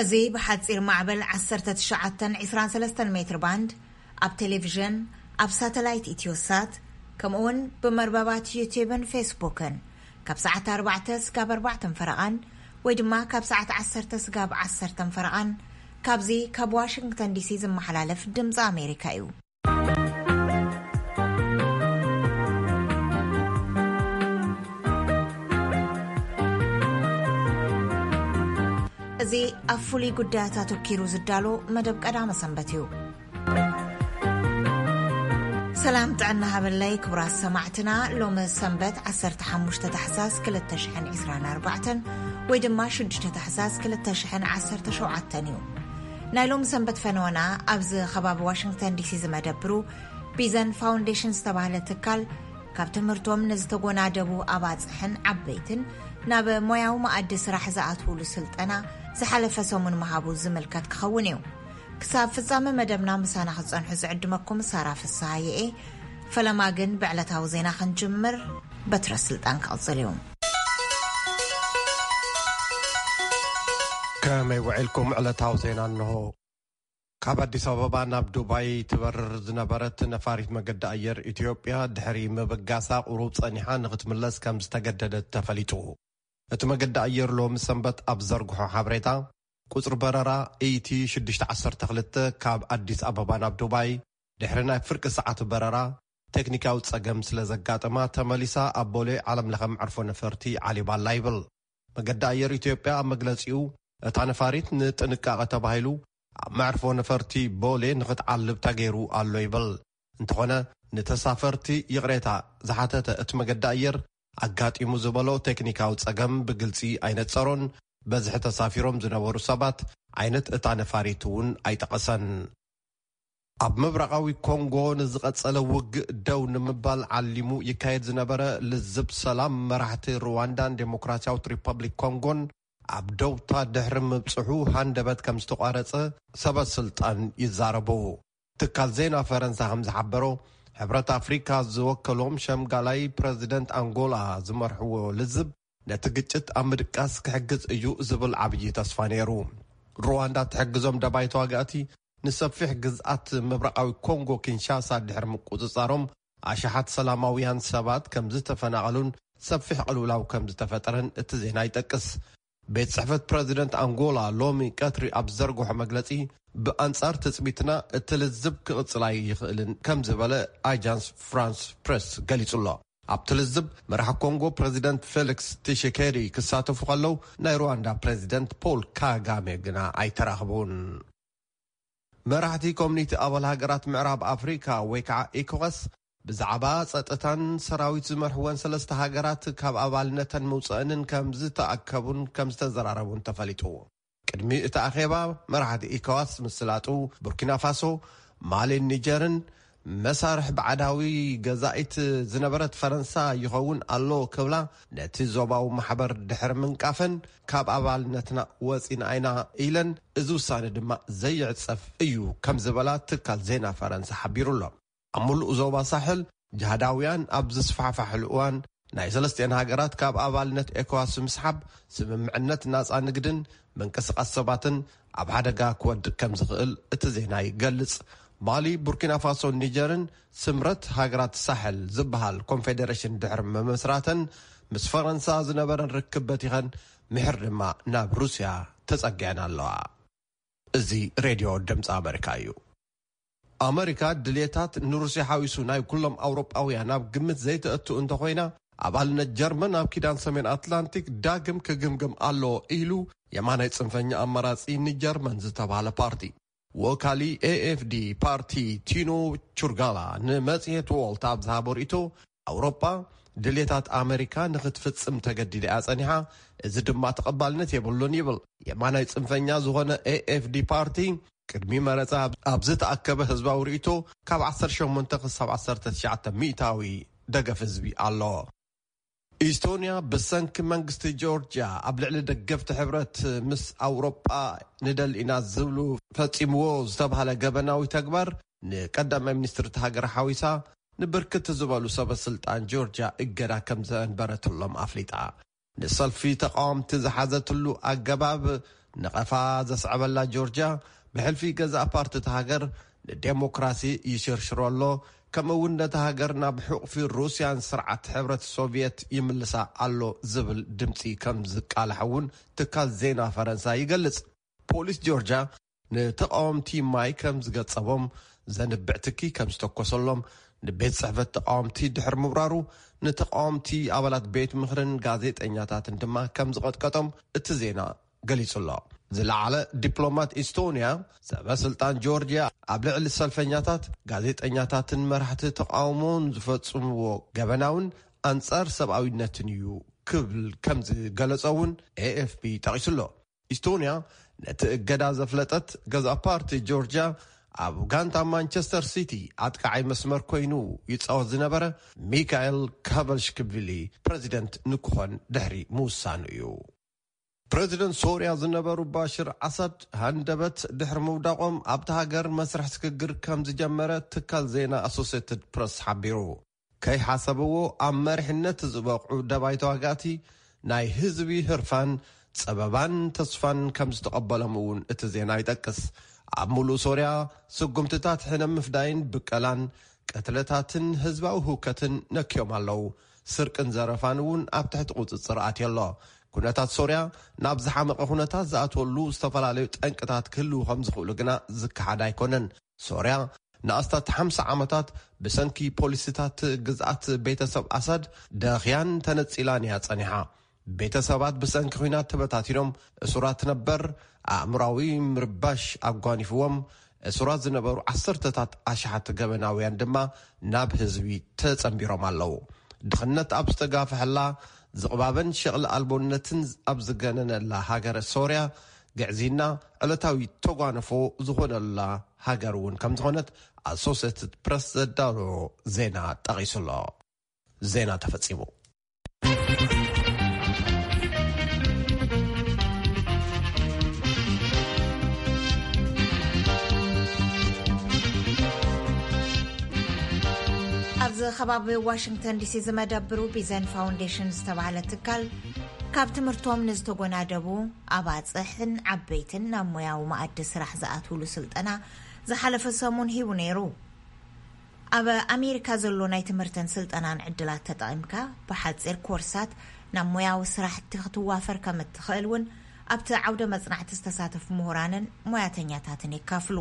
እዚ ብሓጺር ማዕበል ዓሰርተ ትሽዓተ ዕስራን ሰለስተን ሜትር ባንድ፣ ኣብ ቴሌቪዥን፣ ኣብ ሳተላይት ኢትዮሳት፣ ከምኡውን ብመርበባት ዩቲዩብን ፌስቡክን ካብ ሰዓት ኣርባዕተ ስጋብ ኣርባዕተን ፈረቓን ወይ ድማ ካብ ሰዓት ዓሰርተ ስጋብ ዓሰርተን ፈረቓን ካብዚ ካብ ዋሽንግተን ዲሲ ዝመሓላለፍ ድምፂ ኣሜሪካ እዩ። እዚ ኣብ ፍሉይ ጉዳያት ኣተኪሩ ዝዳሎ መደብ ቀዳመ ሰንበት እዩ። ሰላም ጥዕና ሃበለይ ክቡራት ሰማዕትና፣ ሎሚ ሰንበት ዓሰርተ ሓሙሽተ ታሕሳስ ክልተ ሽሕን ዕስራን ኣርባዕተን ወይ ድማ ሽዱሽተ ታሕሳስ ክልተ ሽሕን ዓሰርተ ሸውዓተን እዩ። ናይ ሎሚ ሰንበት ፈነወና ኣብዚ ከባቢ ዋሽንግተን ዲሲ ዝመደብሩ ቢዘን ፋውንዴሽን ዝተባህለ ትካል ካብ ትምህርቶም ንዝተጎናደቡ ኣባፅሕን ዓበይትን ናብ ሞያዊ መኣዲ ስራሕ ዝኣትውሉ ስልጠና ዝሓለፈ ሰሙን ምሃቡ ዝምልከት ክኸውን እዩ። ክሳብ ፍጻመ መደብና ምሳና ክትጸንሑ ዝዕድመኩም ሳራ ፍስሃየ እየ። ፈለማ ግን ብዕለታዊ ዜና ክንጅምር በትረ ስልጣን ክቕጽል እዩ። ከመይ ውዒልኩም? ዕለታዊ ዜና እንሆ። ካብ ኣዲስ ኣበባ ናብ ዱባይ ትበርር ዝነበረት ነፋሪት መገዲ ኣየር ኢትዮጵያ ድሕሪ ምብጋሳ ቁሩብ ጸኒሓ ንክትምለስ ከም ዝተገደደት ተፈሊጡ። እቲ መገዲ ኣየር ሎሚ ሰንበት ኣብ ዘርግሖ ሓበሬታ፣ ቁጽሪ በረራ ኢቲ ሽዱሽተ ዓሰርተ ክልተ ካብ ኣዲስ ኣበባ ናብ ዱባይ ድሕሪ ናይ ፍርቂ ሰዓት በረራ ቴክኒካዊ ጸገም ስለ ዘጋጠማ ተመሊሳ ኣብ ቦሌ ዓለም ለኸ መዕርፎ ነፈርቲ ዓሊባ ኣላ ይብል። መገዲ ኣየር ኢትዮጵያ ኣብ መግለጺኡ፣ እታ ነፋሪት ንጥንቃቐ ተባሂሉ ኣብ መዕርፎ ነፈርቲ ቦሌ ንኽትዓልብ ተገይሩ ኣሎ ይብል። እንተኾነ፣ ንተሳፈርቲ ይቕሬታ ዝሓተተ እቲ መገዲ ኣየር፣ ኣጋጢሙ ዝበሎ ቴክኒካዊ ጸገም ብግልጺ ኣይነጸሮን። በዝሒ ተሳፊሮም ዝነበሩ ሰባት ዓይነት እታ ነፋሪት እውን ኣይጠቐሰን። ኣብ ምብራቓዊ ኮንጎ ንዝቐጸለ ውግእ ደው ንምባል ዓሊሙ ይካየድ ዝነበረ ልዝብ ሰላም፣ መራሕቲ ሩዋንዳን ዴሞክራሲያዊት ሪፐብሊክ ኮንጎን ኣብ ደውታ ድሕሪ ምብጽሑ ሃንደበት ከም ዝተቋረጸ ሰበ ስልጣን ይዛረቡ። ትካል ዜና ፈረንሳ ከም ዝሓበሮ፣ ሕብረት ኣፍሪካ ዝወከሎም ሸምጋላይ ፕረዚደንት ኣንጎላ ዝመርሕዎ ልዝብ ነቲ ግጭት ኣብ ምድቃስ ክሕግዝ እዩ ዝብል ዓብዪ ተስፋ ነይሩ። ሩዋንዳ ትሕግዞም ደባይ ተዋጋእቲ ንሰፊሕ ግዝኣት ምብራቓዊ ኮንጎ ኪንሻሳ ድሕሪ ምቁጽጻሮም፣ ኣሽሓት ሰላማውያን ሰባት ከም ዝተፈናቐሉን ሰፊሕ ቅልውላው ከም ዝተፈጠረን እቲ ዜና ይጠቅስ። ቤት ጽሕፈት ፕረዚደንት ኣንጎላ ሎሚ ቀትሪ ኣብ ዘርግሖ መግለጺ፣ ብኣንጻር ትጽቢትና እቲ ልዝብ ክቕጽል ኣይኽእልን ከም ዝበለ ኣጃንስ ፍራንስ ፕሬስ ገሊጹ ኣሎ። ኣብቲ ልዝብ መራሕ ኮንጎ ፕረዚደንት ፌሊክስ ቲሽኬዲ ክሳተፉ ከለዉ፣ ናይ ሩዋንዳ ፕረዚደንት ፖል ካጋሜ ግና ኣይተራኽቡን። መራሕቲ ኮሚኒቲ ኣባል ሃገራት ምዕራብ ኣፍሪካ ወይ ከዓ ኢኮዋስ ብዛዕባ ጸጥታን ሰራዊት ዝመርሕወን ሰለስተ ሃገራት ካብ ኣባልነተን ምውፀእንን ከም ዝተኣከቡን ከም ዝተዘራረቡን ተፈሊጡ። ቅድሚ እቲ ኣኼባ መራሕቲ ኢኮዋስ ምስላጡ ቡርኪና ፋሶ፣ ማሊን ኒጀርን መሳርሕ ባዕዳዊ ገዛኢት ዝነበረት ፈረንሳ ይኸውን ኣሎ ክብላ ነቲ ዞባዊ ማሕበር ድሕሪ ምንቃፈን ካብ ኣባልነትና ወፂና ኢና ኢለን፣ እዚ ውሳነ ድማ ዘይዕፀፍ እዩ ከም ዝበላ ትካል ዜና ፈረንሳ ሓቢሩ ኣሎ። ኣብ ሙሉእ ዞባ ሳሕል ጅሃዳውያን ኣብ ዝስፋሕፋሕሉ እዋን ናይ ሰለስቲኤን ሃገራት ካብ ኣባልነት ኤኮዋስ ምስሓብ ስምምዕነት ናፃ ንግድን ምንቅስቃስ ሰባትን ኣብ ሓደጋ ክወድቅ ከም ዝኽእል እቲ ዜና ይገልጽ። ማሊ፣ ቡርኪና ፋሶን ኒጀርን ስምረት ሃገራት ሳሕል ዝበሃል ኮንፌደሬሽን ድሕሪ ምምስራተን ምስ ፈረንሳ ዝነበረን ርክብ በቲኸን ምሕር ድማ ናብ ሩስያ ተጸጊዐን ኣለዋ። እዚ ሬድዮ ድምፂ ኣመሪካ እዩ። ኣመሪካ ድልየታት ንሩስያ ሓዊሱ ናይ ኩሎም ኣውሮጳውያን ኣብ ግምት ዘይተእቱ እንተኾይና፣ ኣባልነት ጀርመን ኣብ ኪዳን ሰሜን ኣትላንቲክ ዳግም ክግምግም ኣለዎ ኢሉ የማናይ ጽንፈኛ ኣማራጺ ንጀርመን ዝተባህለ ፓርቲ። ወካሊ ኤኤፍዲ ፓርቲ ቲኖ ቹርጋላ ንመጽሔት ዎልት ኣብ ዝሃቦ ርእይቶ፣ ኣውሮጳ ድልየታት ኣመሪካ ንኽትፍጽም ተገዲዳ እያ ጸኒሓ፣ እዚ ድማ ተቐባልነት የብሉን ይብል። የማናይ ጽንፈኛ ዝኾነ ኤኤፍዲ ፓርቲ ቅድሚ መረጻ ኣብ ዝተኣከበ ህዝባዊ ርእይቶ ካብ ዓሰርተ ሸሞንተ ክሳብ ዓሰርተ ትሽዓተ ሚእታዊ ደገፍ ህዝቢ ኣሎ። ኢስቶንያ ብሰንኪ መንግስቲ ጆርጅያ ኣብ ልዕሊ ደገፍቲ ሕብረት ምስ ኣውሮጳ ንደሊ ኢና ዝብሉ ፈጺምዎ ዝተባህለ ገበናዊ ተግባር ንቀዳማይ ሚኒስትር እቲ ሃገር ሓዊሳ ንብርክት ዝበሉ ሰበ ስልጣን ጆርጅያ እገዳ ከም ዘንበረትሎም ኣፍሊጣ። ንሰልፊ ተቃወምቲ ዝሓዘትሉ ኣገባብ ነቐፋ ዘስዐበላ ጆርጅያ፣ ብሕልፊ ገዛእ ፓርቲ እታ ሃገር ንዴሞክራሲ ይሽርሽሮ ኣሎ፣ ከምኡ እውን ነታ ሃገር ናብ ሕቑፊ ሩስያን ስርዓት ሕብረት ሶቪየት ይምልሳ ኣሎ ዝብል ድምፂ ከም ዝቃላሕ እውን ትካል ዜና ፈረንሳ ይገልጽ። ፖሊስ ጆርጅያ ንተቃወምቲ ማይ ከም ዝገጸቦም ዘንብዕ ትኪ ከም ዝተኮሰሎም፣ ንቤት ጽሕፈት ተቃወምቲ ድሕሪ ምብራሩ፣ ንተቃወምቲ ኣባላት ቤት ምኽርን ጋዜጠኛታትን ድማ ከም ዝቐጥቀጦም እቲ ዜና ገሊጹ ኣሎ። ዝለዓለ ዲፕሎማት ኢስቶንያ፣ ሰበ ስልጣን ጆርጅያ ኣብ ልዕሊ ሰልፈኛታት፣ ጋዜጠኛታትን መራሕቲ ተቃውሞን ዝፈጽምዎ ገበናውን ኣንጻር ሰብኣዊነትን እዩ ክብል ከም ዝገለጸ እውን ኤኤፍፒ ጠቒሱ ኣሎ። ኢስቶንያ ነቲ እገዳ ዘፍለጠት ገዛእ ፓርቲ ጆርጅያ፣ ኣብ ጋንታ ማንቸስተር ሲቲ ኣጥቃዓይ መስመር ኮይኑ ይጻወት ዝነበረ ሚካኤል ካቨልሽክቪሊ ፕረዚደንት ንክኾን ድሕሪ ምውሳኑ እዩ። ፕረዚደንት ሶርያ ዝነበሩ ባሽር ኣሳድ ሃንደበት ድሕሪ ምውዳቖም፣ ኣብቲ ሃገር መስርሕ ስግግር ከም ዝጀመረ ትካል ዜና ኣሶሴትድ ፕረስ ሓቢሩ። ከይሓሰብዎ ኣብ መሪሕነት ዝበቕዑ ደባይ ተዋጋእቲ፣ ናይ ህዝቢ ህርፋን፣ ጸበባን ተስፋን ከም ዝተቐበሎም እውን እቲ ዜና ይጠቅስ። ኣብ ሙሉእ ሶርያ፣ ስጉምትታት ሕነ ምፍዳይን ብቀላን፣ ቅትለታትን ህዝባዊ ህውከትን ነክዮም ኣለዉ። ስርቅን ዘረፋን እውን ኣብ ትሕቲ ቁጽጽር ኣትዮ ኣሎ። ኩነታት ሶርያ ናብ ዝሓመቐ ኩነታት ዝኣትወሉ ዝተፈላለዩ ጠንቅታት ክህልዉ ከም ዝኽእሉ ግና ዝከሓድ ኣይኮነን። ሶርያ ንኣስታት ሓምሳ ዓመታት ብሰንኪ ፖሊሲታት ግዝኣት ቤተሰብ ኣሳድ ደኽያን ተነጺላን እያ ጸኒሓ። ቤተሰባት ብሰንኪ ኲናት ተበታቲኖም፣ እሱራት ነበር ኣእምራዊ ምርባሽ ኣጓኒፍዎም፣ እሱራት ዝነበሩ ዓሰርተታት ኣሽሓት ገበናውያን ድማ ናብ ህዝቢ ተጸንቢሮም ኣለዉ። ድኽነት ኣብ ዝተጋፍሐላ፣ ዝቕባበን ሸቕሊ ኣልቦነትን ኣብ ዝገነነላ ሃገረ ሶርያ፣ ግዕዝይና ዕለታዊ ተጓንፎ ዝኾነላ ሃገር እውን ከም ዝኾነት ኣሶሴትድ ፕረስ ዘዳለዎ ዜና ጠቒሱ ኣሎ። ዜና ተፈጺሙ። ኣብዚ ከባቢ ዋሽንግተን ዲሲ ዝመደብሩ ቢዘን ፋውንዴሽን ዝተባህለ ትካል፣ ካብ ትምህርቶም ንዝተጎናደቡ ኣባጽሕን ዓበይትን ናብ ሞያዊ መኣዲ ስራሕ ዝኣትውሉ ስልጠና ዝሓለፈ ሰሙን ሂቡ ነይሩ። ኣብ ኣሜሪካ ዘሎ ናይ ትምህርትን ስልጠናን ዕድላት ተጠቒምካ፣ ብሓጺር ኮርሳት ናብ ሞያዊ ስራሕቲ ክትዋፈር ከም እትኽእል እውን ኣብቲ ዓውደ መጽናዕቲ ዝተሳተፉ ምሁራንን ሞያተኛታትን የካፍሉ።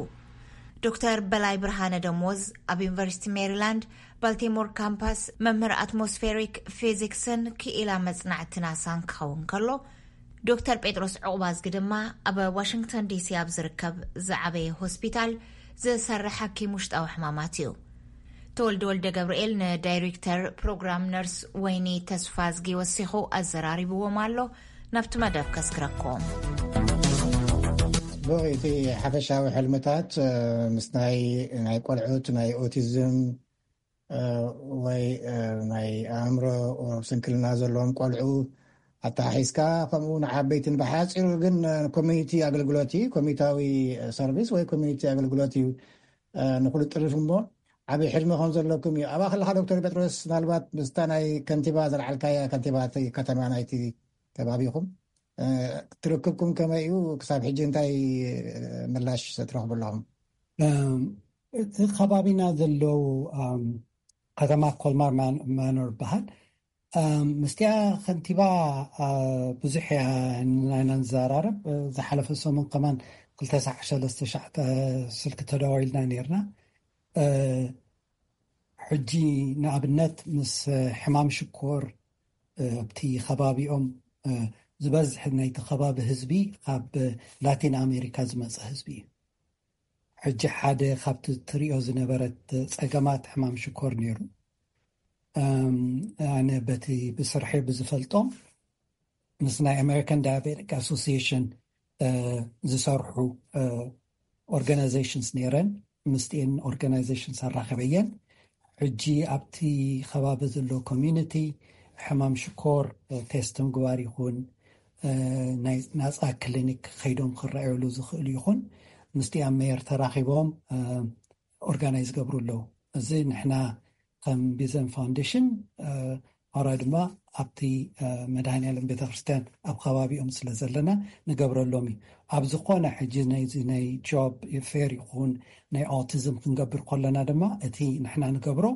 ዶክተር በላይ ብርሃነ ደሞዝ ኣብ ዩኒቨርሲቲ ሜሪላንድ ባልቲሞር ካምፓስ መምህር ኣትሞስፌሪክ ፊዚክስን ክኢላ መጽናዕቲ ናሳን ክኸውን ከሎ፣ ዶክተር ጴጥሮስ ዑቕባዝጊ ድማ ኣብ ዋሽንግተን ዲሲ ኣብ ዝርከብ ዝዓበየ ሆስፒታል ዝሰርሕ ሓኪም ውሽጣዊ ሕማማት እዩ። ተወልደ ወልደ ገብርኤል ንዳይሬክተር ፕሮግራም ነርስ ወይኒ ተስፋዝጊ ወሲኹ ኣዘራሪብዎም ኣሎ። ናብቲ መደብ ከስግረኩም። ጽቡቕ፣ እቲ ሓፈሻዊ ሕልምታት፣ እ፣ ምስ ናይ፣ ናይ ቆልዑት፣ ናይ ኦቲዝም፣ እ፣ ወይ፣ እ፣ ናይ ኣእምሮ ስንክልና ዘለዎም ቆልዑ ኣተሓሒዝካ፣ ከምኡ ንዓበይትን ብሓጺሩ ግን፣ እ፣ ኮሚኒቲ ኣገልግሎት እዩ፣ ኮሚኒታዊ ሰርቪስ ወይ ኮሚኒቲ ኣገልግሎት እዩ፣ እ፣ ንኹሉ ጥርፍ እሞ ዓቢ ሕልሚ ከም ዘለኩም እዩ። ኣብኣ ከለኻ ዶክተር ጴጥሮስ፣ ምናልባት ምስታ ናይ ከንቲባ ዘልዓልካያ፣ ከንቲባ እቲ ከተማ ናይቲ ከባቢኹም፣ እ፣ ትርክብኩም ከመይ እዩ? ክሳብ ሕጂ እንታይ፣ እ፣ ምላሽ ትረኽቡ ኣለኹም? እም፣ እቲ ከባቢና ዘለዉ፣ ኣም፣ ከተማ ኮልማር ማን-፣ ማኖር ይበሃል። ኣም፣ ምስቲኣ ከንቲባ፣ ኣ፣ ብዙሕ እያ ናይና ንዘራረብ። እ፣ ዝሓለፈ ሰሙን ከማን ክልተ ሳዕ፣ ሰለስተ ሳዕ፣ ተ-፣ ስልኪ ተደዋዊልና ነይርና። እ፣ ሕጂ ንኣብነት ምስ ሕማም ሽኮር፣ እ፣ ኣብቲ ከባቢኦም፣ እ፣ ዝበዝሕ ናይቲ ከባቢ ህዝቢ ካብ ላቲን ኣሜሪካ ዝመጸ ህዝቢ እዩ። ሕጂ ሓደ ካብቲ ትሪኦ ዝነበረት ጸገማት ሕማም ሽኮር ነይሩ። እም፣ ኣነ በቲ ብስርሐይ ብዝፈልጦም ምስ ናይ ኣሜሪካን ዳያቤቲክ ኣሶሲዬሽን፣ እ፣ ዝሰርሑ፣ እ፣ ኦርጋናይዜሽንስ ነይረን። ምስቲኤን ኦርጋናይዜሽንስ ኣራኸበየን። ሕጂ ኣብቲ ከባቢ ዘሎ ኮሚዩኒቲ ሕማም ሽኮር፣ እ፣ ቴስት ምግባር ይኹን፣ እ፣ ናይ ናጻ ክሊኒክ ከይዶም ክረኣዩሉ ዝኽእሉ ይኹን፣ ምስቲኣ ሜየር ተራኺቦም፣ እ፣ ኦርጋናይዝ ገብሩ ኣለዉ። እዚ ንሕና ከም ቢዘን ፋውንዴሽን፣ እ፣ ኣውራ ድማ ኣብቲ መድሃኒኣለም ቤተክርስትያን ኣብ ከባቢኦም ስለ ዘለና ንገብረሎም እዩ። ኣብ ዝኾነ ሕጂ ናይ ጆብ ፌር ይኹን ናይ ኣውቲዝም ክንገብር ከለና ድማ እቲ ንሕና ንገብሮ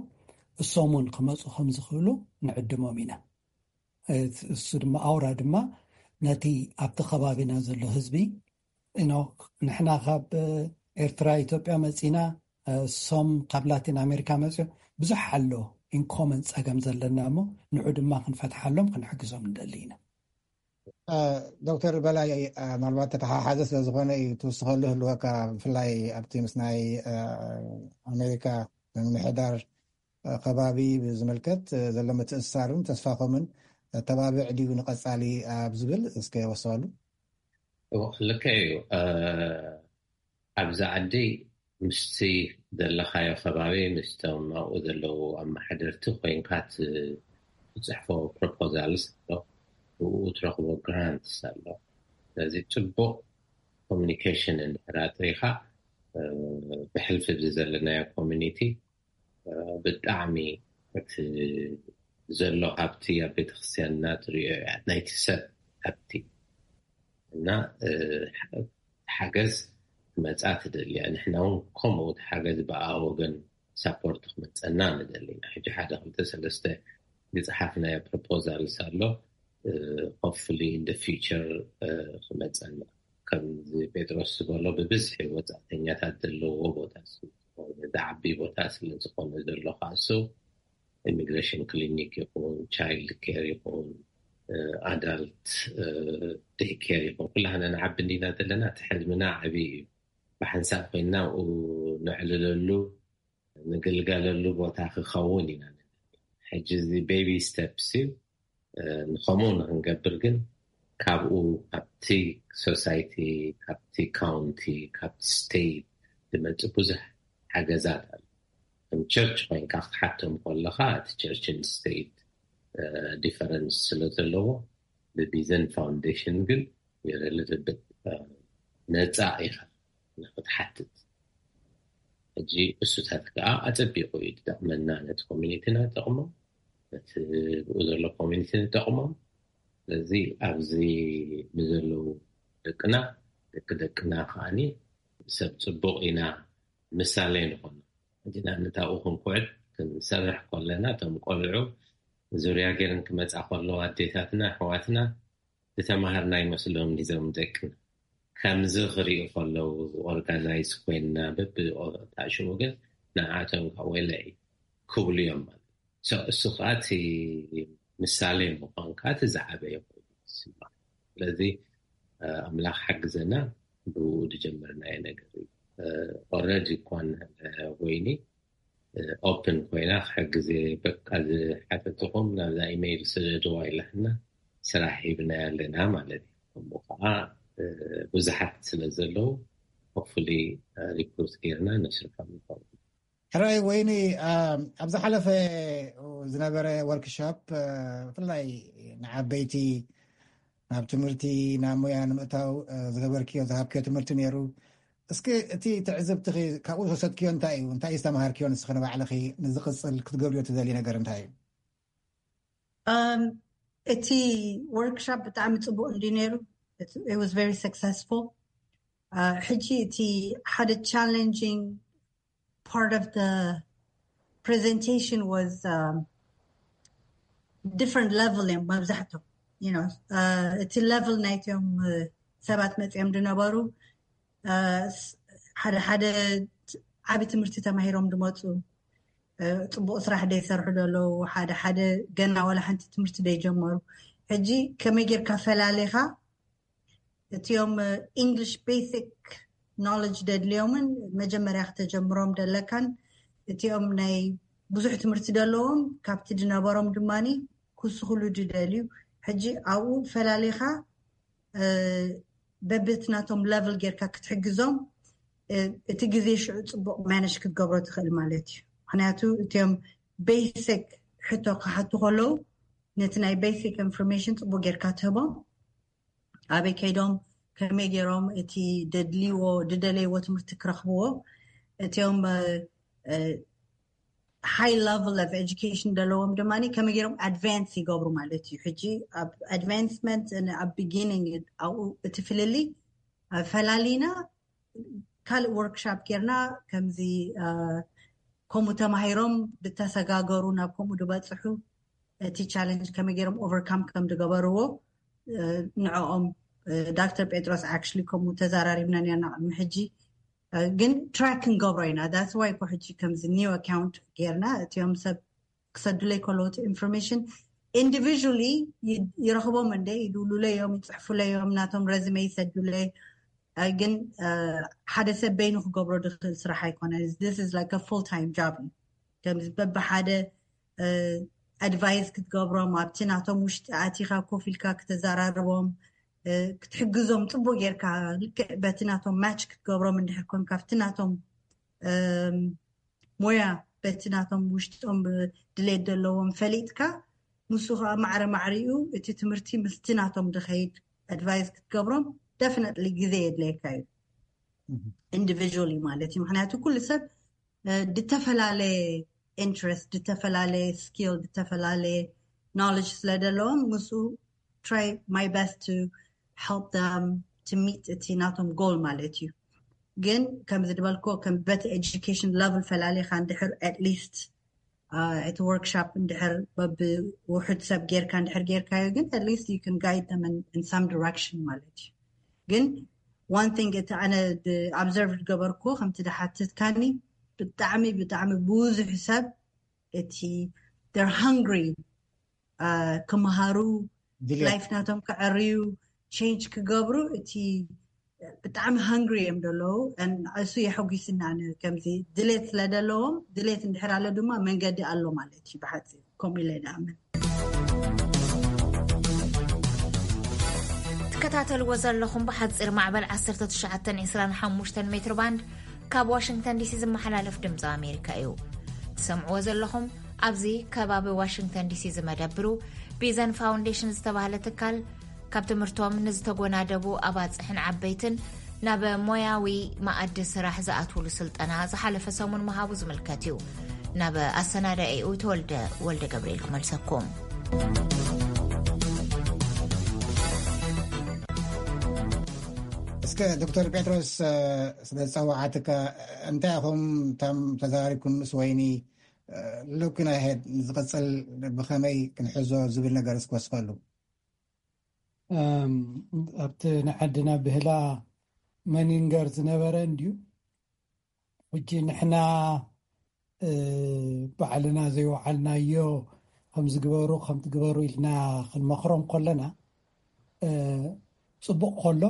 እሶም እውን ክመፁ ከም ዝኽእሉ ንዕድሞም ኢና። እሱ ድማ ኣውራ ድማ ነቲ ኣብቲ ከባቢና ዘሎ ህዝቢ ንሕና ካብ ኤርትራ ኢትዮጵያ መፂና፣ እሶም ካብ ላቲን ኣሜሪካ መፅዮ፣ ብዙሕ ኣሎ ኢንኮመን ፀገም ዘለና እሞ ንዑ ድማ ክንፈትሓሎም ክንሕግዞም ንደሊ ኢና። ዶክተር በላይ፣ ምናልባት ተተሓሓዘ ስለዝኾነ እዩ ትውስኸሉ ህልወካ፣ ብፍላይ ኣብቲ ምስ ናይ ኣሜሪካ ምምሕዳር ከባቢ ብዝምልከት ዘሎ ምትእስሳርን ተስፋኹምን ተባብዕ ድዩ ንቐፃሊ ኣብ ዝብል እስከ ወስኸሉ። ልክዕ እዩ። ኣብዚ ዓዲ ምስቲ ዘለኻዮ ከባቢ ምስቶም ኣብኡ ዘለዉ ኣመሓደርቲ ኮይንካ ትፅሕፎ ፕሮፖዛልስ ኣሎ፣ ብኡ ትረኽቦ ግራንትስ ኣሎ። ስለዚ ፅቡቕ ኮሚኒኬሽን እንድሕር ኣጥሪኻ ብሕልፊ እዚ ዘለናዮ ኮሚኒቲ ብጣዕሚ እቲ ዘሎ ሃብቲ ኣብ ቤተክርስትያንና ትሪኦ እያ፣ ናይቲ ሰብ ሃብቲ እና ሓገዝ ክመፃ ትደልያ። ንሕና እውን ከምኡ እቲ ሓገዝ ብኣ ወገን ሳፖርት ክመፀና ንደሊና። ሕጂ ሓደ ክልተ ሰለስተ ዝፀሓፍናዮ ፕሮፖዛልስ ኣሎ፣ ሆፕፉሊ ኢን ፊቸር ክመፀና። ከምዚ ጴጥሮስ ዝበሎ ብብዝሒ ወፃእተኛታት ዘለዎ ቦታ ስለዝኾነ፣ ዝዓቢ ቦታ ስለዝኾነ ዘሎ ካሱ ኢሚግሬሽን ክሊኒክ ይኹን ቻይልድ ኬር ይኹን ኣዳልት ዴይ ኬር ይኹን ኩላህና ንዓቢ እንዲና ዘለና። እቲ ሕልምና ዓብዪ እዩ። ብሓንሳብ ኮይንና ኣብኡ ነዕልለሉ ንግልገለሉ ቦታ ክኸውን ኢና። ሕጂ እዚ ቤቢ ስቴፕስ እዩ። ንኸምኡ ንክንገብር ግን ካብኡ ካብቲ ሶሳይቲ፣ ካብቲ ካውንቲ፣ ካብቲ ስቴት ዝመፅእ ብዙሕ ሓገዛት ኣሎ። ከም ቸርች ኮይንካ ክትሓቶም ከለካ እቲ ቸርችን ስቴት ዲፈረንስ ስለ ዘለዎ ብቪዘን ፋውንዴሽን ግን ሪሌትድ ነፃ ኢኻ ንክትሓትት። ሕጂ እሱታት ከዓ ኣፀቢቑ እዩ ዝጠቕመና፣ ነቲ ኮሚኒቲና ይጠቕሞ፣ ነቲ ብኡ ዘሎ ኮሚኒቲ ንጠቕሞም። ስለዚ ኣብዚ ንዘለዉ ደቅና ደቂ ደቅና ከዓኒ ሰብ ፅቡቕ ኢና ምሳሌ ንኾኖ። ሕጂ ንኣብነት ኣብኡ ክንኩዕት ክንሰርሕ ከለና እቶም ቆልዑ ዙርያ ገይረን ክመፃ ከለዋ ኣዴታትና ኣሕዋትና ዝተማሃርና ይመስሎም ዲዞም ደቅና ከምዚ ክሪኡ ከለዉ ኦርጋናይዝ ኮይንና በብታሽሙ ግን ንዓቶም ከዓ ወይለ ክብሉ እዮም ማለት። እሱ ከዓ እቲ ምሳሌ ምኳን ከዓ እቲ ዝዓበየ ኮይኑ ይስማዕ። ስለዚ ኣምላኽ ሓግዘና ብኡ ዝጀመርናዮ ነገር እዩ። ኦረዲ እኳ ወይኒ ኦፕን ኮይና ክሕግዝ በቃ ዝሓተትኹም ናብዛ ኢሜይል ስደድዋ ኢላትና ስራሕ ሂብና ኣለና ማለት እዩ። ከምኡ ከዓ ብዙሓት ስለ ዘለዉ ሆፕፉሊ ሪክሩት ጌርና ነስርሖም ንኸውን። ሕራይ ወይኒ ኣብ ዝሓለፈ ዝነበረ ወርክሾፕ ብፍላይ ንዓበይቲ ናብ ትምህርቲ ናብ ሙያ ንምእታው ዝገበርክዮ ዝሃብክዮ ትምህርቲ ነይሩ። እስኪ እቲ ትዕዝብትኺ ካብኡ ዝወሰድክዮ እንታይ እዩ? እንታይ ዝተምሃርክዮ ንስኺ ንባዕልኺ ንዝቕፅል ክትገብርዮ ትደልዩ ነገር እንታይ እዩ? እቲ ወርክሾፕ ብጣዕሚ ፅቡቅ እንዲ ነይሩ። It was very successful. ሕጂ እቲ ሓደ challenging part of the presentation was different level እዮም መብዛሕቶም። እቲ level ናይቶም ሰባት መፅኦም ዝነበሩ ሓደ ሓደ ዓቢ ትምህርቲ ተማሂሮም ዝመፁ፣ ፅቡቅ ስራሕ ዘይሰርሑ ዘለዉ፣ ሓደ ሓደ ገና ዋላ ሓንቲ ትምህርቲ ዘይጀመሩ። ሕጂ ከመይ ጌርካ ፈላሊኻ እቲኦም ኢንግሊሽ ቤሲክ ኖሌጅ ደድልዮምን መጀመርያ ክተጀምሮም ደለካን እቲኦም ናይ ብዙሕ ትምህርቲ ደለዎም ካብቲ ዝነበሮም ድማ ክስኽሉ ዝደልዩ። ሕጂ ኣብኡ ፈላሊኻ በብቲ ናቶም ለቭል ጌርካ ክትሕግዞም እቲ ግዜ ሽዑ ፅቡቅ ማነሽ ክትገብሮ ትኽእል ማለት እዩ። ምክንያቱ እቲኦም ቤሲክ ሕቶ ክሓቱ ከለዉ ነቲ ናይ ቤሲክ ኢንፎርሜሽን ፅቡቅ ጌርካ ትህቦም። ኣበይ ከይዶም ከመይ ገይሮም እቲ ደድልዎ ዝደለይዎ ትምህርቲ ክረኽብዎ እቲኦም high level of education ዘለዎም ድማ ከመይ ገይሮም advance ይገብሩ ማለት እዩ። ሕጂ ኣብ advancement፣ ኣብ beginning ኣብኡ እቲ ፍልልይ ፈላሊና ካልእ workshop ጌርና ከምዚ ከምኡ ተማሂሮም ዝተሰጋገሩ ናብ ከምኡ ዝበፅሑ እቲ challenge ከመይ ገይሮም overcome ከም ዝገበርዎ ንዕኦም ዳክተር ጴጥሮስ actually ከምኡ ተዘራሪብና ኔርና ቅድሚ ሕጂ። ግን track ክንገብሮ ኢና። That's why እኮ ሕጂ ከምዚ new account ጌርና እቲኦም ሰብ ክሰዱለይ ከለዉ እቲ information individually ይረኽቦም እንደ ይድውሉለይ እዮም፣ ይፅሕፉለይ እዮም፣ ናቶም resume ይሰዱለይ። ግን ሓደ ሰብ በይኑ ክገብሮ ድኽእል ስራሕ ኣይኮነ። This is like a full time job። ከምዚ በብሓደ advice ክትገብሮም ኣብቲ ናቶም ውሽጢ ኣቲኻ ኮፍ ኢልካ ክተዘራርቦም ክትሕግዞም ፅቡቅ ጌርካ ልክዕ በቲ ናቶም match ክትገብሮም እንድሕር ኮንካ ኣብቲ ናቶም ሞያ በቲ ናቶም ውሽጦም ድሌት ዘለዎም ፈሊጥካ ምስ ከዓ ማዕረ ማዕሪኡ እቲ ትምህርቲ ምስቲ ናቶም ድኸይድ advice ክትገብሮም definitely ግዜ የድለየካ እዩ። Individually ማለት እዩ። ምክንያቱ ኩሉ ሰብ ዝተፈላለየ interest፣ ዝተፈላለየ skill፣ ዝተፈላለየ knowledge ስለ ዘለዎም ምስኡ try my best to help them to meet እቲ ናቶም goal ማለት እዩ። ግን ከም ዝበልኮ ከም በቲ education level ፈላሊኻ እንድሕር at least እቲ workshop እንድሕር በብውሑድ ሰብ ጌርካ እንድሕር ጌርካዮ ግን at least you can guide them in some direction ማለት እዩ። ግን one thing እቲ ኣነ observe ዝገበርኩ ከምቲ ዝሓትትካኒ ብጣዕሚ ብጣዕሚ ብዙሕ ሰብ እቲ they're hungry ክመሃሩ life ናቶም ክዕርዩ change ክገብሩ እቲ ብጣዕሚ hungry እዮም ዘለዉ። እሱ የሐጒስና ከምዚ ድሌት ስለ ዘለዎም ድሌት እንድሕር ኣሎ ድማ መንገዲ ኣሎ ማለት እዩ። ብሓፂር ከምኡ ኢለ ይኣምን። ትከታተልዎ ዘለኹም ብሓፂር ማዕበል ዓሰርተ ትሽዓተ ዕስራን ሓሙሽተን ሜትር ባንድ ካብ ዋሽንግተን ዲሲ ዝመሓላለፍ ድምፂ ኣሜሪካ እዩ ትሰምዕዎ ዘለኹም። ኣብዚ ከባቢ ዋሽንግተን ዲሲ ዝመደብሩ ቢዘን ፋውንዴሽን ዝተባህለ ትካል ካብ ትምህርቶም ንዝተጎናደቡ ኣባፅሕን ዓበይትን ናብ ሞያዊ መኣዲ ስራሕ ዝኣትውሉ ስልጠና ዝሓለፈ ሰሙን ምሃቡ ዝምልከት እዩ። ናብ ኣሰናዳኢኡ ተወልደ ወልደ ገብርኤል ክመልሰኩም። እስከ ዶክተር ጴጥሮስ ስለ ዝፀዋዓትካ እንታይ ኢኹም እቶም ተዛሪብኩም ምስ ወይኒ looking ahead ንዝቕፅል ብኸመይ ክንሕዞ ዝብል ነገር እስከ ወስኸሉ። ኣብቲ ንዓድና ብህላ መኒንገር ዝነበረ እንድዩ። ሕጂ ንሕና ባዕልና ዘይወዓልናዮ ከምዝግበሩ ከምትግበሩ ኢልና ክንመኽሮም ከለና ፅቡቕ ከሎ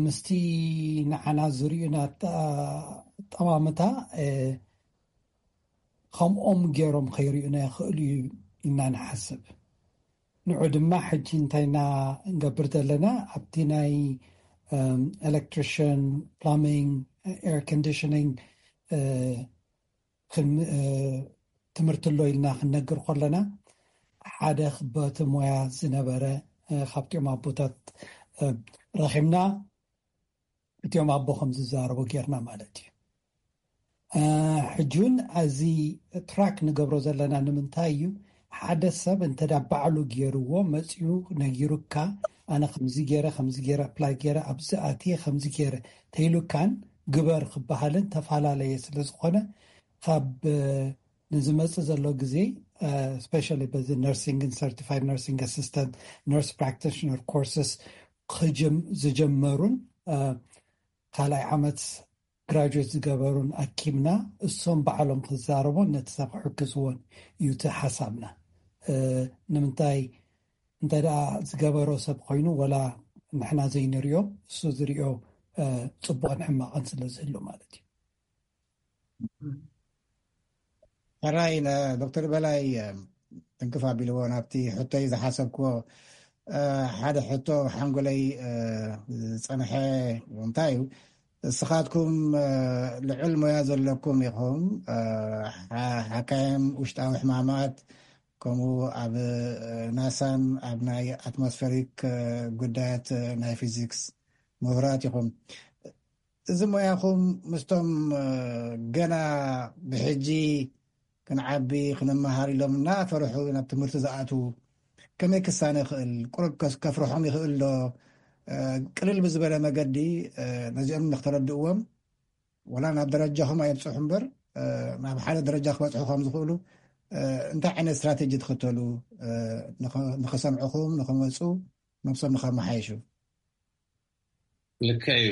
ምስቲ ንዓና ዝርእዩና ጠማምታ ከምኦም ገይሮም ከይርእዩና ይኽእሉ እዩ ኢና ንሓስብ። ንዑ ድማ ሕጂ እንታይ ኢና እንገብር ዘለና ኣብቲ ናይ electrician, plumbing, air conditioning ትምህርቲ ኣሎ ኢልና ክንነግር ከለና ሓደ በቲ ሞያ ዝነበረ ካብቲኦም ኣቦታት ረኺብና እቲኦም ኣቦ ከም ዝዛረቡ ጌርና ማለት እዩ። ሕጂ እውን እዚ track ንገብሮ ዘለና ንምንታይ እዩ? ሓደ ሰብ እንተ ባዕሉ ገይርዎ መፅኡ ነጊሩካ ኣነ ከምዚ ገይረ ከምዚ ገይረ apply ገይረ ኣብዚ ኣትየ ከምዚ ገይረ ተይሉካን ግበር ክበሃልን ተፈላለየ ስለ ዝኾነ ካብ ንዝመፅእ ዘሎ ግዜ especially በዚ nursing and certified nursing assistant, nurse practitioner courses ዝጀመሩን ካልኣይ ዓመት graduate ዝገበሩን ኣኪምና እሶም ባዕሎም ክዛረቡን ነቲ ሰብ ክሕግዝዎን እዩ እቲ ሓሳብና። ንምንታይ እንተ ደኣ ዝገበሮ ሰብ ኮይኑ ወላ ንሕና ዘይንሪኦ እሱ ዝሪኦ ፅቡቕን ሕማቕን ስለ ዝህሉ ማለት እዩ። ሕራይ ንዶክተር በላይ ትንክፍ ኣቢልዎ ናብቲ ሕቶይ ዝሓሰብክዎ ሓደ ሕቶ ሓንጎለይ ዝፀንሐ እንታይ እዩ? እስኻትኩም ልዑል ሞያ ዘለኩም ኢኹም፣ ሓካይም ውሽጣዊ ሕማማት ከምኡ ኣብ ናሳን ኣብ ናይ ኣትሞስፌሪክ ጉዳያት ናይ ፊዚክስ ምሁራት ኢኹም። እዚ ሞያኹም ምስቶም ገና ብሕጂ ክንዓቢ ክንመሃር ኢሎም እናፈርሑ ናብ ትምህርቲ ዝኣትዉ ከመይ ክሳነ ይኽእል? ቁሩብ ከፍርሖም ይኽእል ዶ? ቅልል ብዝበለ መገዲ ነዚኦም ንክተረድእዎም፣ ወላ ናብ ደረጃኹም ኣየብፅሑ እምበር ናብ ሓደ ደረጃ ክበፅሑ ከም ዝኽእሉ እንታይ ዓይነት ስትራቴጂ ትኽተሉ ንኸሰምዕኹም ንኸመፁ ነብሶም ንኸመሓየሹ? ልክዕ እዩ።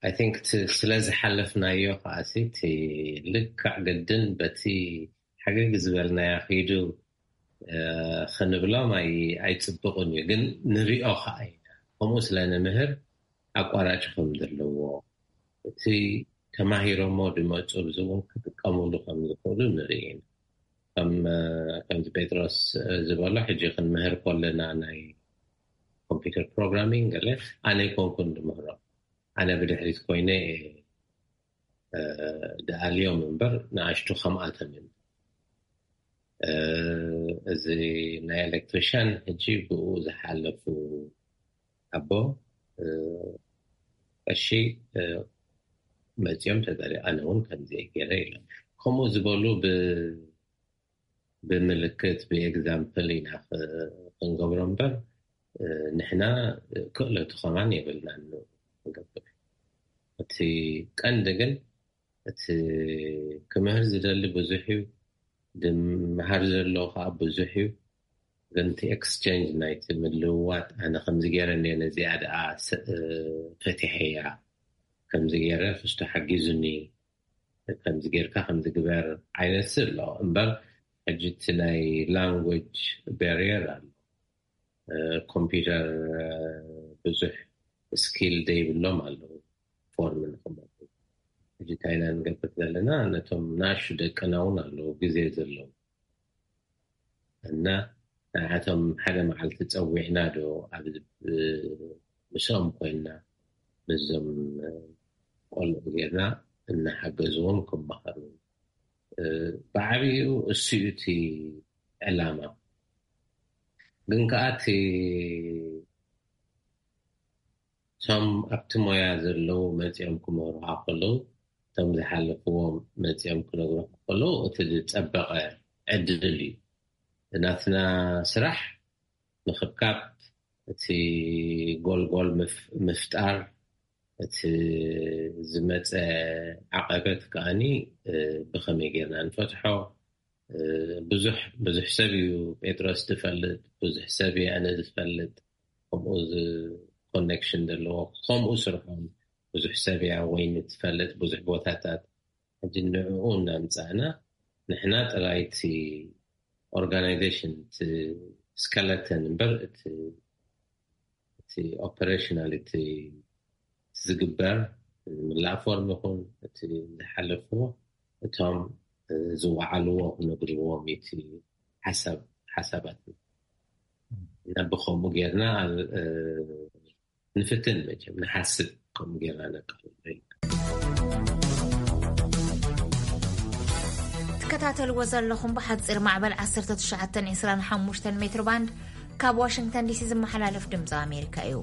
I think ስለ ዝሓለፍናዮ ከዓሲ እቲ ልክዕ ግድን በቲ ሕግግ ዝበልናዮ ኪዱ ክንብሎም ኣይፅብቕን እዩ፣ ግን ንሪኦ ከዓ ኢና። ከምኡ ስለ ንምህር ኣቋራጭ ከም ዘለዎ፣ እቲ ተማሂሮሞ ዝመፁ ብዚ እውን ክጥቀምሉ ከም ዝኽእሉ ንርኢ ኢና። ከምዚ ጴጥሮስ ዝበሎ ሕጂ ክንምህር ከለና ናይ ኮምፒውተር ፕሮግራሚንግ ገለ ኣነ ኣይኮንኩን ዝምህሮ፣ ኣነ ብድሕሪት ኮይነ ድኣልዮም እምበር ንኣሽቱ ከምኣቶም እዮም። እዚ ናይ ኤሌክትሪሽያን ሕጂ ብኡ ዝሓለፉ ኣቦ ቀሺ መፂኦም ተዛሪ ኣነ እውን ከምዚ ገይረ ኢሎም። ከምኡ ዝበሉ ብምልክት ብኤግዛምፕል ኢና ክንገብሮ እምበር ንሕና ክእለቱ ከማን የብልናን ንገብር። እቲ ቀንዲ ግን እቲ ክምህር ዝደሊ ብዙሕ እዩ፣ ድምሃር ዘሎ ከዓ ብዙሕ እዩ። ግን እቲ ኤክስቼንጅ ናይቲ ምልውዋጥ ኣነ ከምዚ ገይረ እኒአ ነዚኣ ደኣ ፈቲሐያ ከምዚ ገይረ ክስቶ ሓጊዙኒ ከምዚ ጌርካ ከምዚ ግበር ዓይነት ኣሎ እምበር ሕጂ እቲ ናይ ላንጉጅ ባሪየር ኣሎ። ኮምፒውተር ብዙሕ ስኪል ዘይብሎም ኣለዉ ፎርም ንክመ ሕጂ እንታይ ኢና ንገብር ዘለና ነቶም ናሹ ደቅና እውን ኣለዉ ግዜ ዘለዉ እና ንዓቶም ሓደ መዓልቲ ጸዊዕና ዶ ኣብ ምስኦም ኮይና ምስዞም ቆልዑ ጌርና እናሓገዝዎም ክመሃሩ ብዓብኡ እሱ እዩ እቲ ዕላማ። ግን ከዓ እቲ እቶም ኣብቲ ሞያ ዘለዉ መፂኦም ክምህሩካ ከለዉ እቶም ዝሓለፍዎም መፂኦም ክነግሩካ ከለዉ እቲ ዝፀበቐ ዕድል እዩ። ናትና ስራሕ ምኽብካብ እቲ ጎልጎል ምፍጣር እቲ ዝመፀ ዓቐበት ከዓኒ ብኸመይ ጌርና ንፈትሖ ብዙሕ ብዙሕ ሰብ እዩ ጴጥሮስ ዝፈልጥ ብዙሕ ሰብ እዩ ኣነ ዝፈልጥ ከምኡ ኮኔክሽን ዘለዎ ከምኡ ስርሖም ብዙሕ ሰብ እያ ወይኒ ትፈልጥ ብዙሕ ቦታታት ሕጂ ንዕኡ እናምፃእና ንሕና ጥራይ እቲ ኦርጋናይዜሽን እቲ ስከለተን እምበር እቲ ኦፐሬሽናል እቲ ዝግበር ምላእ ፎርም ይኹን እቲ ዝሓለፍዎ እቶም ዝወዓልዎ ክነግርዎም እቲ ሓሳብ ሓሳባት እና ብኸምኡ ጌርና ንፍትን መቸም ንሓስብ ከም ጌርና ነቃ ትከታተልዎ ዘለኹም ብሓፂር ማዕበል ዓሰርተ ትሽዓተ ዕስራን ሓሙሽተን ሜትር ባንድ ካብ ዋሽንግተን ዲሲ ዝመሓላለፍ ድምፂ ኣሜሪካ እዩ።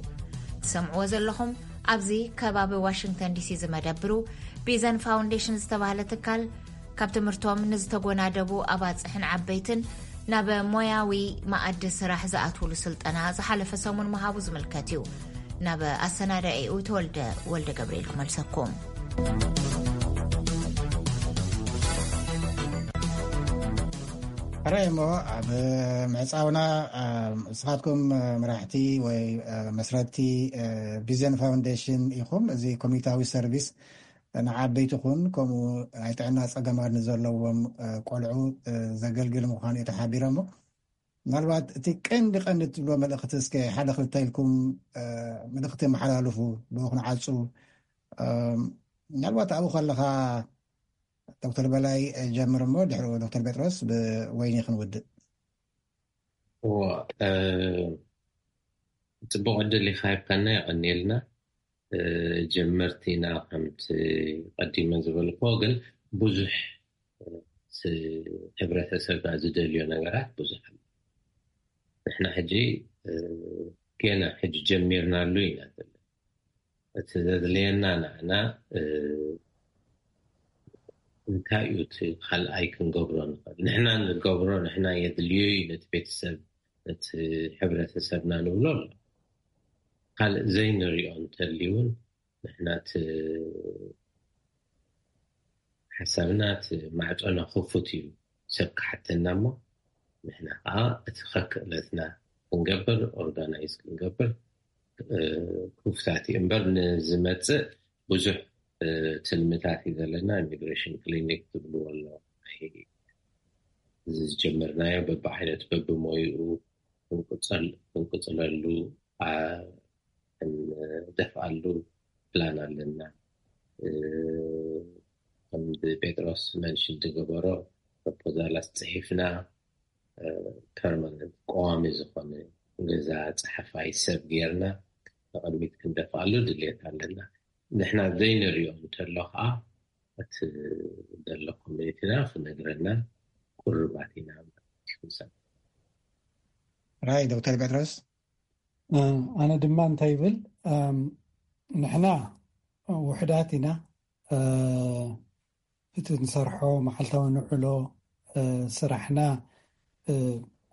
ትሰምዕዎ ዘለኹም ኣብዚ ከባቢ ዋሽንግተን ዲሲ ዝመደብሩ ቢዘን ፋውንዴሽን ዝተባህለ ትካል ካብ ትምህርቶም ንዝተጎናደቡ ኣባፅሕን ዓበይትን ናብ ሞያዊ መኣዲ ስራሕ ዝኣትውሉ ስልጠና ዝሓለፈ ሰሙን ምሃቡ ዝምልከት እዩ። ናብ ኣሰናዳኢኡ ተወልደ ወልደ ገብርኤል ክመልሰኩም። ሕራይ እሞ ኣብ ምዕፃውና ንስኻትኩም መራሕቲ ወይ መስረቲ ቢዘን ፋውንዴሽን ኢኹም። እዚ ኮሚኒታዊ ሰርቪስ ንዓበይቲ ኹን ከምኡ ናይ ጥዕና ፀገማት ንዘለዎም ቆልዑ ዘገልግል ምዃኑ እዩ ተሓቢሮሞ። ምናልባት እቲ ቀንዲ ቀንዲ ትብሎ መልእኽቲ እስከ ሓደ ክልተ ኢልኩም መልእኽቲ መሓላልፉ ብኡ ክንዓፁ። ምናልባት ኣብኡ ከለኻ ዶክተር በላይ ጀምር እሞ ድሕሪኡ ዶክተር ጴጥሮስ ብወይኒ ክንውድእ። እዎ ፅቡቅ ዕድል ኢካ ሂብካና የቀኒልና። ጀመርቲ ኢና ከምቲ ቀዲመ ዝበልኮ ግን ብዙሕ ህብረተሰብና ዝደልዮ ነገራት ብዙሕ ኣሎ። ንሕና ሕጂ ገና ሕጂ ጀሚርናሉ ኢና ዘለና። እቲ ዘድልየና ንዓና እንታይ እዩ እቲ ካልኣይ ክንገብሮ ንኽእል? ንሕና ንገብሮ፣ ንሕና የድልዮ እዩ ነቲ ቤተሰብ፣ ነቲ ሕብረተሰብና ንብሎ ኣሎ። ካልእ ዘይንሪኦ እንተልዩ እውን ንሕና እቲ ሓሳብና፣ እቲ ማዕጾና ክፉት እዩ። ሰብ ክሓተና እሞ ንሕና ከዓ እቲ ከክእለትና ክንገብር፣ ኦርጋናይዝ ክንገብር ክፍታት እዩ እምበር፣ ንዝመፅእ ብዙሕ ትልምታት እዩ ዘለና። ኢሚግሬሽን ክሊኒክ ትብልዎ ኣሎ፣ ዝጀመርናዮ በብዓይነቱ በብሞይኡ ክንቅፅለሉ፣ ክንደፍኣሉ ፕላን ኣለና። ከም ጴጥሮስ መንሽን ዝገበሮ ፕሮፖዛላት ፅሒፍና፣ ፐርማነንት፣ ቀዋሚ ዝኾነ ገዛ ፀሓፋይ ሰብ ጌርና ንቕድሚት ክንደፍኣሉ ድልየት ኣለና። ንሕና ዘይንሪኦ እንተሎ ከዓ እቲ ዘሎ ኮሚኒቲና ክነግረና ቁርባት ኢና። ራይ ዶክተር ጴጥሮስ? ኣነ ድማ እንታይ ይብል፣ ንሕና ውሕዳት ኢና። እቲ ንሰርሖ መዓልታዊ ንዕሎ ስራሕና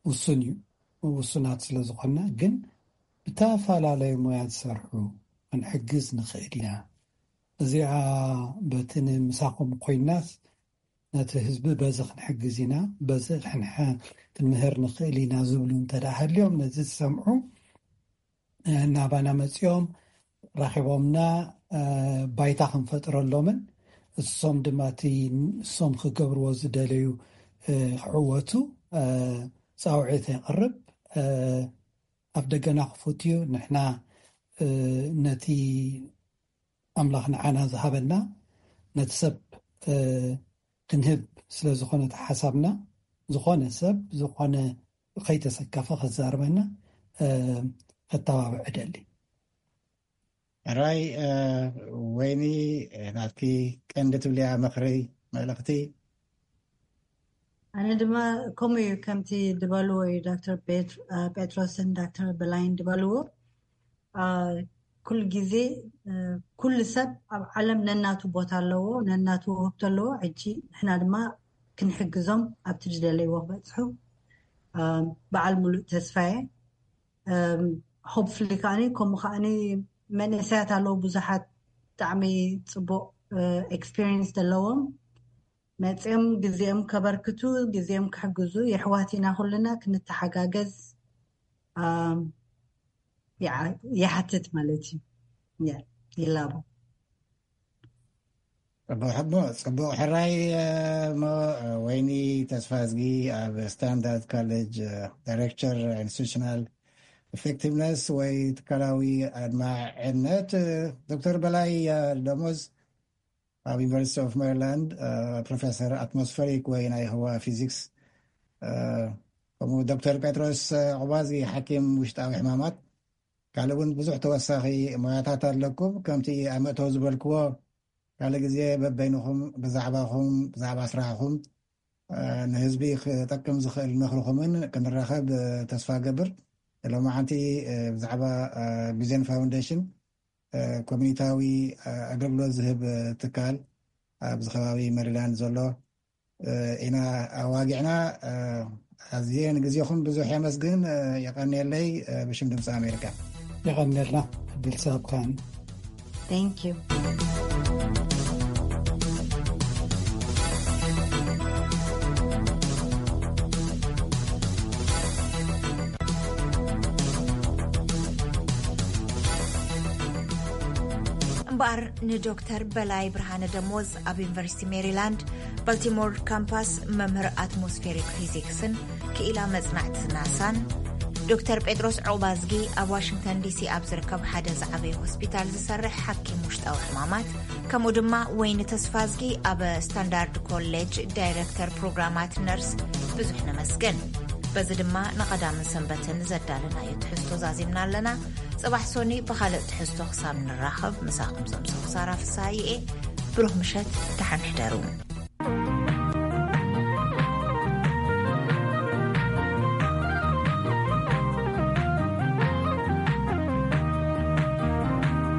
ውሱን እዩ። ውሱናት ስለ ዝኾንና ግን ብተፈላለዩ ሞያ ዝሰርሑ ክንሕግዝ ንኽእል ኢና። እዚኣ በቲ ንምሳኹም ኮይናስ ነቲ ህዝቢ በዚ ክንሕግዝ ኢና፣ በዚ ክንምህር ንኽእል ኢና ዝብሉ እንተ ደኣ ሃልዮም፣ ነዚ ዝሰምዑ ናባና መፂኦም ረኺቦምና ባይታ ክንፈጥረሎምን እሶም ድማ እቲ እሶም ክገብርዎ ዝደለዩ ክዕወቱ ፃውዒት የቕርብ። ኣብ ደገና ክፉት እዩ። ንሕና ነቲ ኣምላኽ ንዓና ዝሃበና ነቲ ሰብ ክንህብ ስለ ዝኾነ እቲ ሓሳብና፣ ዝኾነ ሰብ ዝኾነ ከይተሰከፈ ከዛርበና ከተባብዕ እደሊ። ሕራይ ወይኒ፣ ናትኪ ቀንዲ ትብልያ ምኽሪ፣ መልእኽቲ? ኣነ ድማ ከምኡ እዩ፣ ከምቲ ዝበልዎ እዩ ዶክተር ጴጥሮስን ዶክተር በላይን ዝበልዎ። ኩሉ ግዜ ኩሉ ሰብ ኣብ ዓለም ነናቱ ቦታ ኣለዎ፣ ነናቱ ውህብቶ ኣለዎ። ሕጂ ንሕና ድማ ክንሕግዞም ኣብቲ ዝደለይዎ ክበፅሑ በዓል ሙሉእ ተስፋየ። ሆፕፍሊ ከዓኒ ከምኡ ከዓኒ መንእሰያት ኣለዉ ብዙሓት ብጣዕሚ ፅቡቕ ኤክስፒሪንስ ዘለዎም መፅኦም ግዜኦም ከበርክቱ ግዜኦም ክሕግዙ የሕዋት ኢና ኩልና ክንተሓጋገዝ ይሓትት ማለት እዩ። ይላቦ ጽቡቕ ሕራይ። እሞ ወይኒ ተስፋ እዝጊ ኣብ ስታንዳርድ ኮሌጅ ዳይሬክተር ኢንስቲቱሽናል ኢፌክቲቭነስ ወይ ትካላዊ ኣድማዕነት፣ ዶክተር በላይ ደሞዝ ኣብ ዩኒቨርሲቲ ኦፍ ሜሪላንድ ፕሮፌሰር ኣትሞስፈሪክ ወይ ናይ ህዋ ፊዚክስ፣ ከምኡ ዶክተር ጴጥሮስ ዑባዚ ሓኪም ውሽጣዊ ሕማማት። ካልእ እውን ብዙሕ ተወሳኺ ሞያታት ኣለኩም። ከምቲ ኣብ መእተዊ ዝበልክዎ ካልእ ግዜ በበይንኹም ብዛዕባኹም ብዛዕባ ስራሕኹም ንህዝቢ ክጠቅም ዝኽእል ምኽርኹምን ክንራኸብ ተስፋ ገብር። ሎማዓንቲ ብዛዕባ ቪዥን ፋውንዴሽን ኮሚኒታዊ ኣገልግሎት ዝህብ ትካል ኣብዚ ከባቢ ሜሪላንድ ዘሎ ኢና ኣዋጊዕና። ኣዝየ ንግዜኹም ብዙሕ የመስግን። የቐንየለይ ብሽም ድምፂ ኣሜሪካ። የቐንየልና ዕድል ሰብካን። Thank you. እምበኣር ንዶክተር በላይ ብርሃነ ደሞዝ ኣብ ዩኒቨርሲቲ ሜሪላንድ ባልቲሞር ካምፓስ መምህር ኣትሞስፌሪክ ፊዚክስን ክኢላ መጽናዕቲ ናሳን፣ ዶክተር ጴጥሮስ ዑቕባዝጊ ኣብ ዋሽንግተን ዲሲ ኣብ ዝርከብ ሓደ ዝዓበየ ሆስፒታል ዝሰርሕ ሓኪም ውሽጣዊ ሕማማት፣ ከምኡ ድማ ወይኒ ተስፋዝጊ ኣብ ስታንዳርድ ኮሌጅ ዳይረክተር ፕሮግራማት ነርስ ብዙሕ ነመስግን። በዚ ድማ ንቐዳምን ሰንበትን ዘዳለናዮ ትሕዝቶ ዛዚምና ኣለና። ጽባሕ ሶኒ ብኻልእ ትሕዝቶ ክሳብ ንራኸብ ምሳኹም ዘምሰኹ ሳራ ፍስሃየ እየ። ብሩኽ ምሸት፣ ደሓን ሕደሩ።